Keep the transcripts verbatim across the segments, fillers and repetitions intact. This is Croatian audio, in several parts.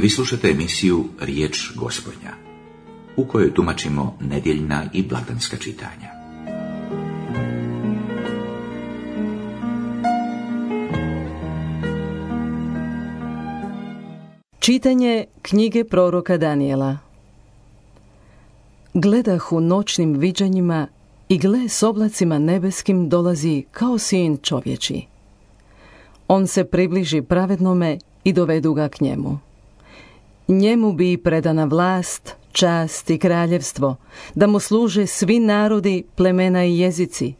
Vi slušate emisiju Riječ Gospodnja, u kojoj tumačimo nedjeljna i blagdanska čitanja. Čitanje knjige proroka Danijela. Gledah u noćnim viđanjima i gle s oblacima nebeskim dolazi kao sin čovječi. On se približi pravednome i dovedu ga k njemu. Njemu bi predana vlast, čast i kraljevstvo, da mu služe svi narodi, plemena i jezici.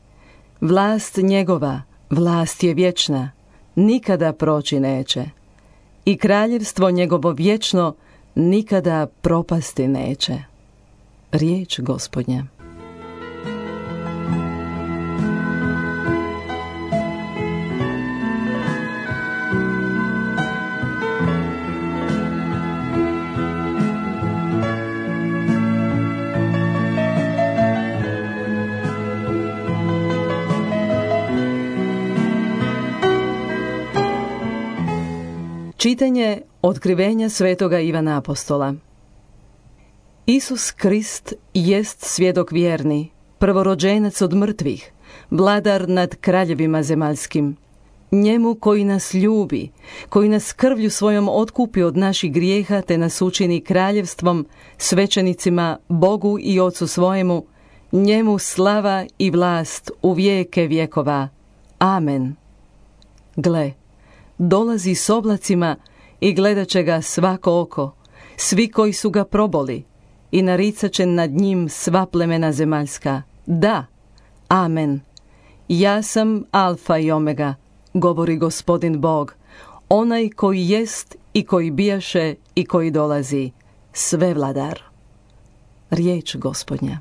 Vlast njegova, vlast je vječna, nikada proći neće. I kraljevstvo njegovo vječno nikada propasti neće. Riječ Gospodnja. Čitanje otkrivenja svetoga Ivana Apostola. Isus Krist jest svjedok vjerni, prvorođenac od mrtvih, vladar nad kraljevima zemaljskim. Njemu koji nas ljubi, koji nas krvlju svojom otkupi od naših grijeha te nas učini kraljevstvom, svećenicima, Bogu i Ocu svojemu, njemu slava i vlast u vijeke vjekova. Amen. Gle, dolazi s oblacima i gledat će ga svako oko, svi koji su ga proboli, i naricat će nad njim sva plemena zemaljska. Da, amen. Ja sam Alfa i Omega, govori Gospodin Bog, onaj koji jest i koji bijaše i koji dolazi, svevladar. Riječ Gospodnja.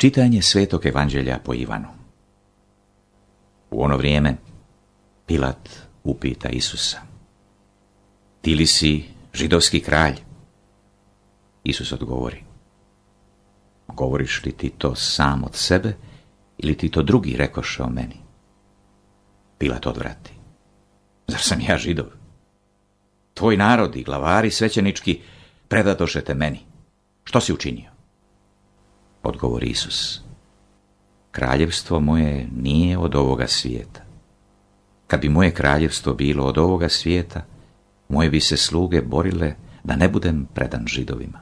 Čitanje Svetog Evanđelja po Ivanu. U ono vrijeme Pilat upita Isusa: Ti li si židovski kralj? Isus odgovori: Govoriš li ti to sam od sebe ili ti to drugi rekoše o meni? Pilat odvrati: Zar sam ja Židov? Tvoj narod i glavari svećenički predadoše te meni. Što si učinio? Odgovori Isus: Kraljevstvo moje nije od ovoga svijeta. Kad bi moje kraljevstvo bilo od ovoga svijeta, moje bi se sluge borile da ne budem predan Židovima.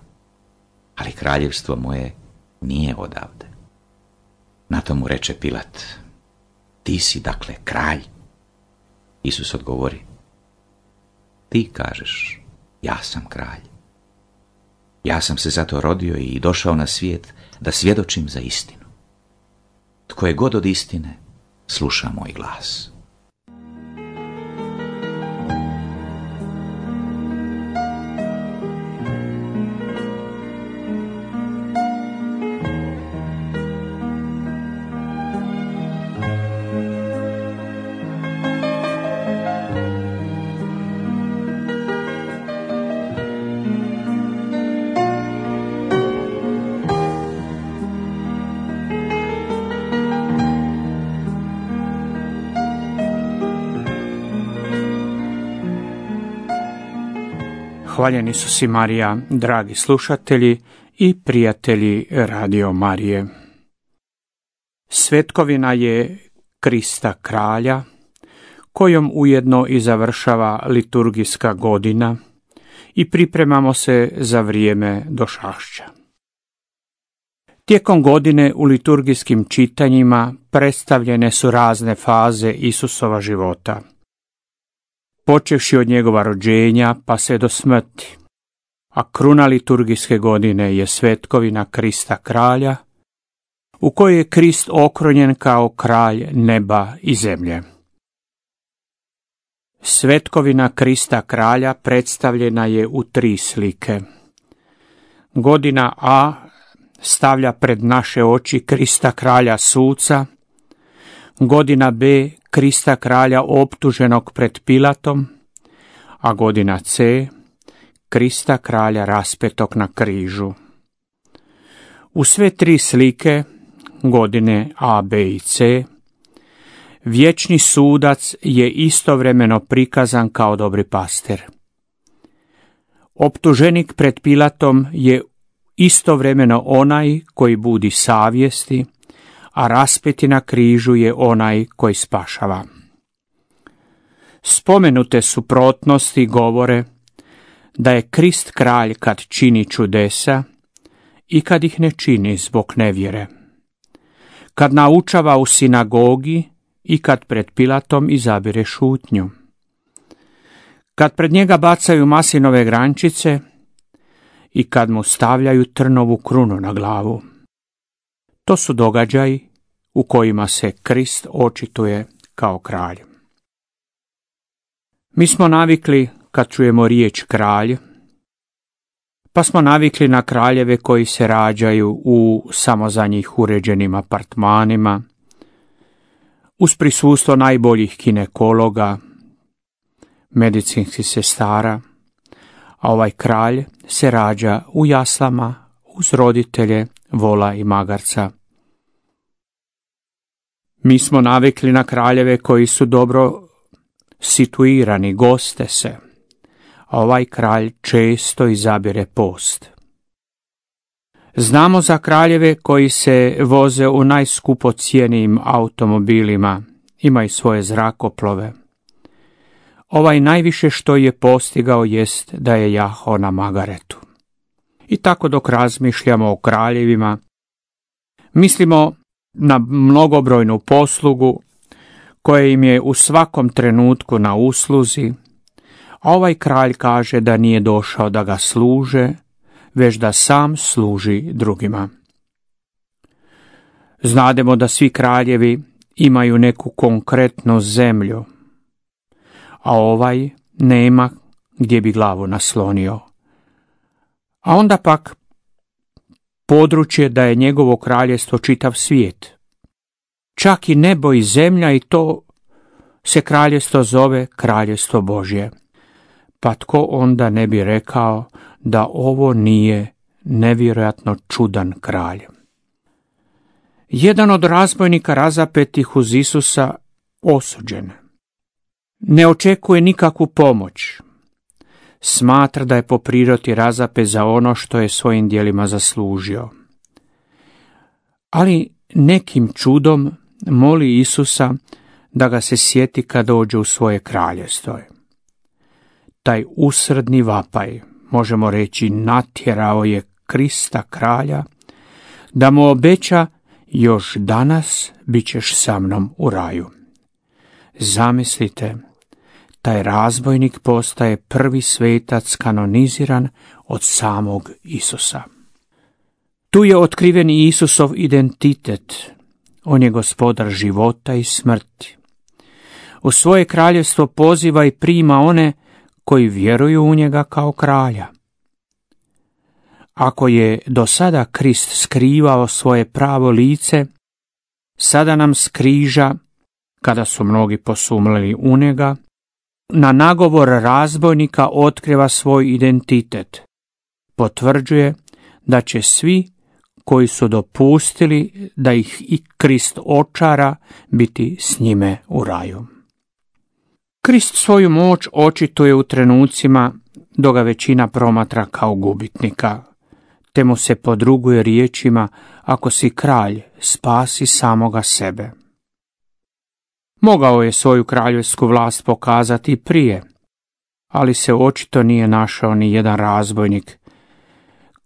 Ali kraljevstvo moje nije odavde. Na to mu reče Pilat: Ti si dakle kralj? Isus odgovori: Ti kažeš, ja sam kralj. Ja sam se zato rodio i došao na svijet da svjedočim za istinu. Tko je god od istine, sluša moj glas. Hvaljeni su si Marija, dragi slušatelji i prijatelji Radio Marije. Svetkovina je Krista kralja, kojom ujedno i završava liturgijska godina i pripremamo se za vrijeme došašća. Tijekom godine u liturgijskim čitanjima predstavljene su razne faze Isusova života, počevši od njegova rođenja pa sve do smrti, a kruna liturgijske godine je svetkovina Krista kralja, u kojoj je Krist okronjen kao kralj neba i zemlje. Svetkovina Krista kralja predstavljena je u tri slike. Godina A stavlja pred naše oči Krista kralja suca, godina B Krista kralja optuženog pred Pilatom, a godina C Krista kralja raspetog na križu. U sve tri slike, godine A, B i C, vječni sudac je istovremeno prikazan kao dobri pastir. Optuženik pred Pilatom je istovremeno onaj koji budi savjesti, a raspeti na križu je onaj koji spašava. Spomenute suprotnosti govore da je Krist kralj kad čini čudesa i kad ih ne čini zbog nevjere, kad naučava u sinagogi i kad pred Pilatom izabire šutnju, kad pred njega bacaju maslinove grančice i kad mu stavljaju trnovu krunu na glavu. To su događaji u kojima se Krist očituje kao kralj. Mi smo navikli, kad čujemo riječ kralj, pa smo navikli na kraljeve koji se rađaju u samo za njih uređenim apartmanima, uz prisustvo najboljih ginekologa, medicinskih sestara, a ovaj kralj se rađa u jaslama uz roditelje, vola i magarca. Mi smo navikli na kraljeve koji su dobro situirani, goste se, a ovaj kralj često izabire post. Znamo za kraljeve koji se voze u najskupocijenijim automobilima, imaju svoje zrakoplove. Ovaj najviše što je postigao jest da je jahao na magaretu. I tako dok razmišljamo o kraljevima, mislimo na mnogobrojnu poslugu koja im je u svakom trenutku na usluzi, a ovaj kralj kaže da nije došao da ga služe, već da sam služi drugima. Znademo da svi kraljevi imaju neku konkretnu zemlju, a ovaj nema gdje bi glavu naslonio. A onda pak područje da je njegovo kraljestvo čitav svijet. Čak i nebo i zemlja, i to se kraljestvo zove kraljestvo Božje. Pa tko onda ne bi rekao da ovo nije nevjerojatno čudan kralj? Jedan od razbojnika razapetih uz Isusa osuđen. Ne očekuje nikakvu pomoć. Smatra da je po prirodi razapet za ono što je svojim djelima zaslužio. Ali nekim čudom moli Isusa da ga se sjeti kad dođe u svoje kraljestvo. Taj usrdni vapaj, možemo reći, natjerao je Krista kralja da mu obeća: još danas bit ćeš sa mnom u raju. Zamislite, taj razbojnik postaje prvi svetac kanoniziran od samog Isusa. Tu je otkriven i Isusov identitet. On je gospodar života i smrti. U svoje kraljevstvo poziva i prima one koji vjeruju u njega kao kralja. Ako je do sada Krist skrivao svoje pravo lice, sada nam s križa, kada su mnogi posumljali u njega, na nagovor razbojnika otkriva svoj identitet. Potvrđuje da će svi koji su dopustili da ih i Krist očara biti s njime u raju. Krist svoju moć očituje u trenucima dok ga većina promatra kao gubitnika, te mu se podruguje riječima: ako si kralj, spasi samoga sebe. Mogao je svoju kraljevsku vlast pokazati prije, ali se očito nije našao ni jedan razbojnik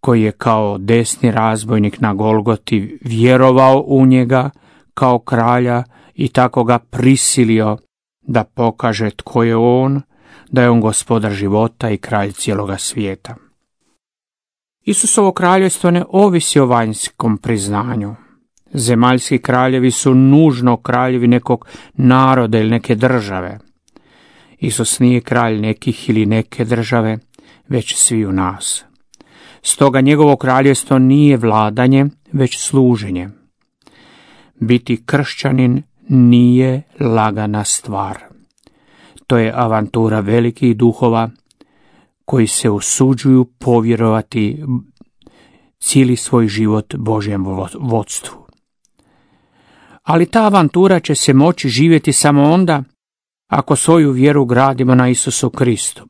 koji je kao desni razbojnik na Golgoti vjerovao u njega kao kralja i tako ga prisilio da pokaže tko je on, da je on gospodar života i kralj cijeloga svijeta. Isusovo kraljevstvo ne ovisi o vanjskom priznanju, Zemaljski kraljevi su nužno kraljevi nekog naroda ili neke države. Isus nije kralj nekih ili neke države, već svi u nas. Stoga njegovo kraljevstvo nije vladanje, već služenje. Biti kršćanin nije lagana stvar. To je avantura velikih duhova koji se usuđuju povjerovati cijeli svoj život Božjem vodstvu. Ali ta avantura će se moći živjeti samo onda ako svoju vjeru gradimo na Isusu Kristu.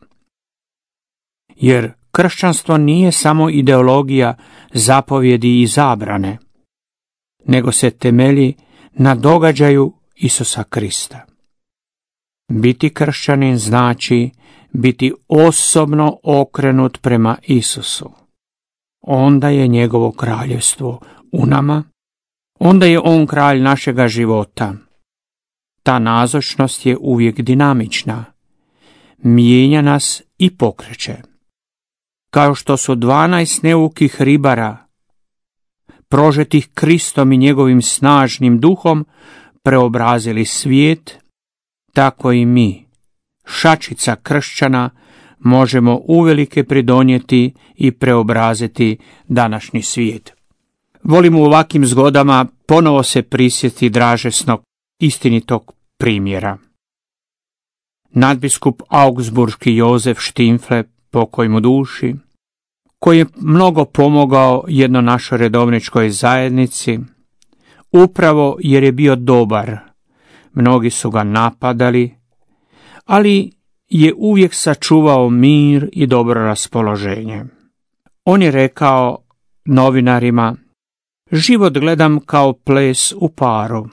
Jer kršćanstvo nije samo ideologija zapovjedi i zabrane, nego se temelji na događaju Isusa Krista. Biti kršćanin znači biti osobno okrenut prema Isusu. Onda je njegovo kraljevstvo u nama, onda je on kralj našega života. Ta nazočnost je uvijek dinamična, mijenja nas i pokreće. Kao što su dvanaest neukih ribara, prožetih Kristom i njegovim snažnim duhom, preobrazili svijet, tako i mi, šačica kršćana, možemo uvelike pridonijeti i preobraziti današnji svijet. Volim u ovakvim zgodama ponovo se prisjetiti dražesnog, istinitog primjera. Nadbiskup augsburški Jozef Štimfle, pokoj mu duši, koji je mnogo pomogao jedno našoj redovničkoj zajednici, upravo jer je bio dobar. Mnogi su ga napadali, ali je uvijek sačuvao mir i dobro raspoloženje. On je rekao novinarima: život gledam kao ples u paru.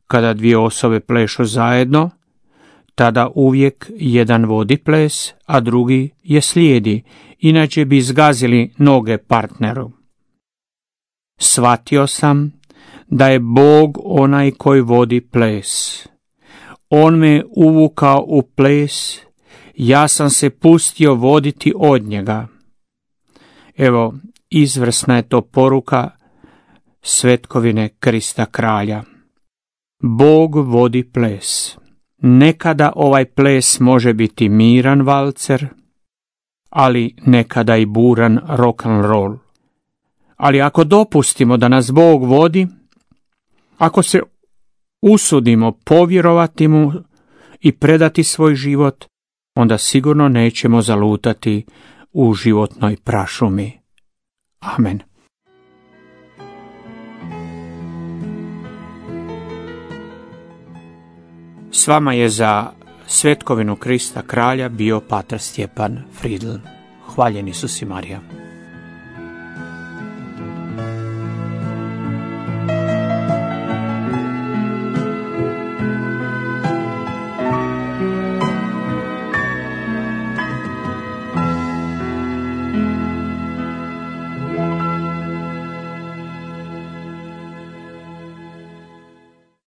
Kada dvije osobe plešu zajedno, tada uvijek jedan vodi ples, a drugi je slijedi, inače bi zgazili noge partneru. Shvatio sam da je Bog onaj koji vodi ples. On me uvukao u ples, ja sam se pustio voditi od njega. Evo, izvrsna je to poruka svetkovine Krista kralja. Bog vodi ples. Nekada ovaj ples može biti miran valcer, ali nekada i buran rock and roll. Ali ako dopustimo da nas Bog vodi, ako se usudimo povjerovati mu i predati svoj život, onda sigurno nećemo zalutati u životnoj prašumi. Amen. S vama je za svetkovinu Krista kralja bio pater Stjepan Fridl. Hvaljen Isus i Marija.